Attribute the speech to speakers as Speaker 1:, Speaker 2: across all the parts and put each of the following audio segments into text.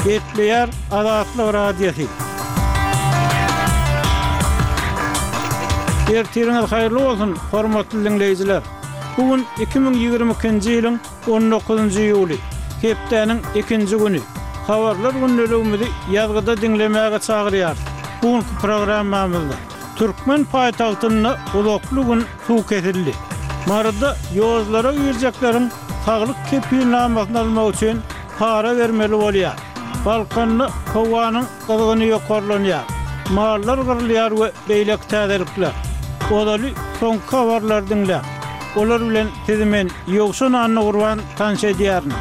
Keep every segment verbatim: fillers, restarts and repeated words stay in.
Speaker 1: Gepleýär Azatlyk Radiosy. Ertiriňiz haýyrly bolsun, hormatly diňleýjiler! Bu gün iki müň ýigrimi ikinji ýylyň on dokuzynjy iýuly, hepdäniň ikinji güni. Habarlar gündeligimizi ýazgyda diňlemäge çagyrýarys. Bu günki programmamyzda türkmen paýtagtynda uzakly gün suw kesildi. Maryda ýollara girjekleriň saglyk kepilnamasyny almak üçin para bermeli bolýar. Balkanda howanyň gyzgyny ýokarlanýar. Mallar gyrylýar we beýleki täzelikler. Ozaly soňky habarlary diňläň. Olar bilen sizi men, Ýowşan Annagurban tanyş edýärin.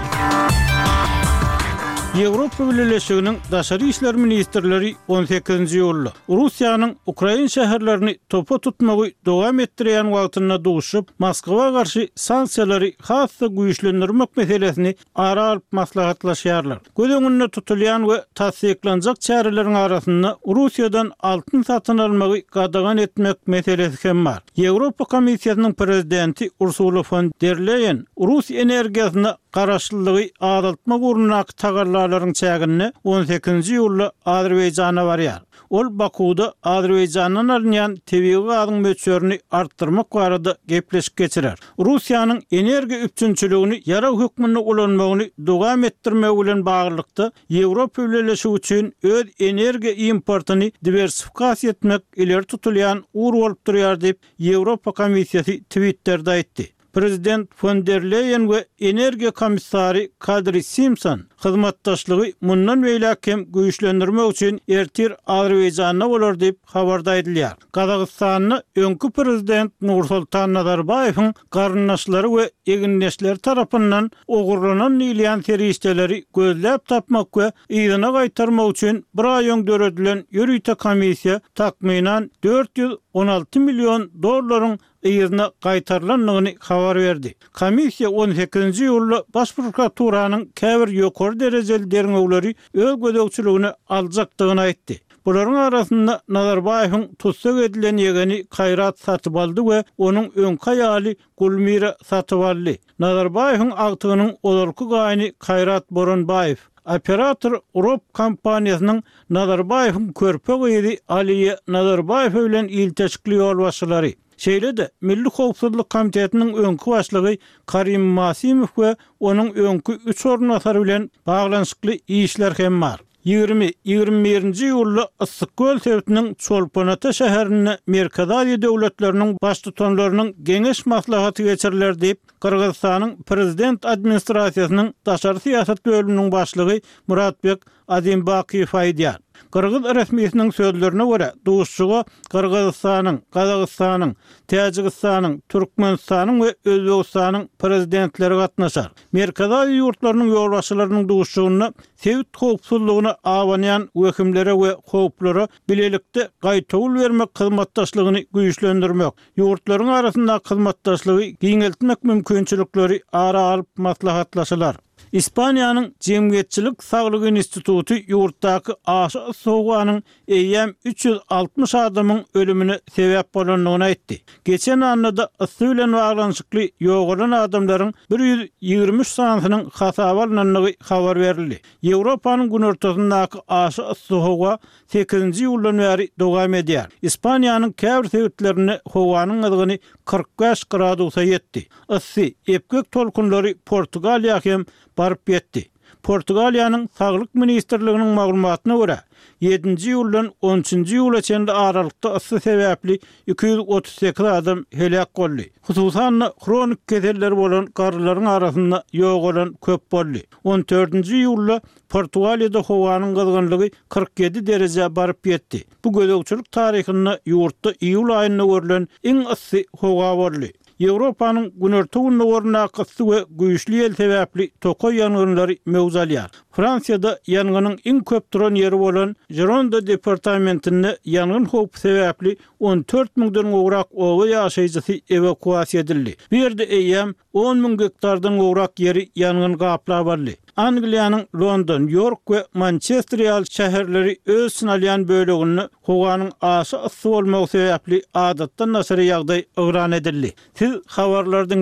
Speaker 1: Ýewropa Bileleşiginiň daşary işler ministrleri on sekizinji iýulda Russiýanyň ukrain şäherlerini topa tutmagy dowam etdirýän wagtynda duşup, Moskwa garşy sanksiýalary has-da güýçlendirmek meselesini ara alyp maslahatlaşýarlar. Göz öňünde tutulýan we tassyklanjak çäreleriň arasynda Russiýadan altyn satyn almagy gadagan etmek meselesi hem bar. Ýewropa Komissiýasynyň prezidenti Ursula fon der Leýen rus energiýasyna garaşlylygy azaltmak ugrundaky tagallalaryň çäginde on sekizinji iýulda Azerbaýjana barýar. Ol Bakuwda Azerbaýjandan alynýan tebigy gazyň möçberini artdyrmak barada gepleşik geçirer. Russiýanyň energiýa üpjünçiligini ýarag hökmünde ulanmagyny dowam etdirmegi bilen baglylykda Ýewropa Bileleşigi üçin öz energiýa importyny diwersifikasiýa etmek ileri tutulýan ugur bolup durýar diýip, Ýewropa Komissiýasy Twitterде aýtdy. Prezident fon der Leýen we energiýa komissary Kadri Simpson hyzmatdaşlygy mundan beýläk hem güýçlendirmek üçin ertir Azerbaýjanda bolar diýip habarda aýdylýar. Gazagystanda öňki prezident Nursultan Nazarbaýewiň garyndaşlary we egindeşleri tarapyndan ogurlanan diýilýän serişdeleri gözläp tapmak we yzyna gaýtarmak üçin bir aý öň döredilen ýörite komissiýa takmynan dört ýüz on alty million dollaryň yzyna gaýtarylandygyny habar berdi. Komissiýa on sekizinji iýulda Baş prokuraturanyň käbir ýokary derejeli derňewleri öz gözegçiligine aljakdygyny aýtdy. Bularyň arasynda Nazarbaýewiň tussag edilen ýegeni Kaýrat Satybaldy we onuň öňki aýaly Gulmira Satybaldy. Nazarbaýewiň agtygynyň ozalky gaýyny Kaýrat Boranbaýew, operator Rob kompaniýasynyň Nazarbaýewiň körpe gyzy Aliýa Nazarbaýewa bilen ilteşikli ýolbaşçylary. Şeýle-de Milli howpsuzlyk komitetiniň öňki başlygy Karim Masimow we onuň öňki üç orunbasary bilen baglanyşykly işler hem bar. Ýigrimi, ýigrimi birinji iýulda Yssyk-Köl sebitiniň Çolpon-Ata şäherinde Merkezi Aziýa döwletleriniň baştutanlarynyň geňeş maslahaty geçiriler diýip, Gyrgyzystanyň Prezident administrasiýasynyň daşary syýasat bölüminiň başlygy Muratbek Azimbakiýew aýdýar. Gyrgyz resmisiniň sözlerine görä, duşuşyga Gyrgyzystanyň, Gazagystanyň, Täjigistanyň, Türkmenistanyň we Özbegistanyň prezidentleri gatnaşar. Merkezi Aziýa ýurtlarynyň ýolbaşçylarynyň duşuşygynda sebit howpsuzlygyna abanýan wehimlere we howplara bilelikde gaýtawul bermek hyzmatdaşlygyny güýçlendirmek, ýurtlaryň arasyndaky hyzmatdaşlygy giňeltmek mümkinçilikleri ara alyp maslahatlaşylar. Ispaniýanyň Jemgyýetçilik saglygy instituty ýurtdaky aşa yssy howanyň eýýäm üç ýüz altmyş adamyň ölümine sebäp bolandygyny aýtdy. Geçen annada yssy bilen baglanyşykly ýogalan adamlaryň bir ýüz ýigrimi üç sanysynyň hasaba alnandygy habar berildi. Ýewropanyň günortasyndaky aşa yssy howa sekizinji iýuldan bäri dowam edýär. Ispaniýanyň käbir sebitlerinde howanyň gyzgyny kyrk bäş gradusa ýetdi. Yssy, epgek tolkunlary Portugaliýa hem baryp ýetdi. Portugaliýanyň Saglyk ministrliginiň maglumatyna görä, ýedinji iýuldan on üçünji iýula çenli aralykda yssy sebäpli iki ýüz otuz sekiz adam heläk boldy. Hususan-da, hronik keselleri bolan garrylaryň arasynda ýogalan köp boldy. On dördünji iýulda Portugaliýada howanyň gyzgynlygy kyrk ýedi derejä baryp ýetdi. Bu gözegçilik taryhynda ýurtda iýul aýynda görlen iň yssy howa boldy. Ýewropanyň günorta-gündogaryndaky yssy we güýçli ýel sebäpli tokaý ýangynlary möwç alýar. Fransiýada ýangynyň iň köp duran ýeri bolan Žironda departamentinde ýangyn howpy sebäpli on dört müňden gowrak oba ýaşaýjysy ewakuasiýa edildi. Bu ýerde eýýäm on müň gektardan gowrak ýeri ýangyn gaplap aldy. Angliýanyň London, Ýork we Mançester ýaly şäherleri öz içine alýan böleginde howanyň aşa yssy bolmagy sebäpli adatdan daşary ýagdaý yglan edildi. Siz habarlary diňlediniz.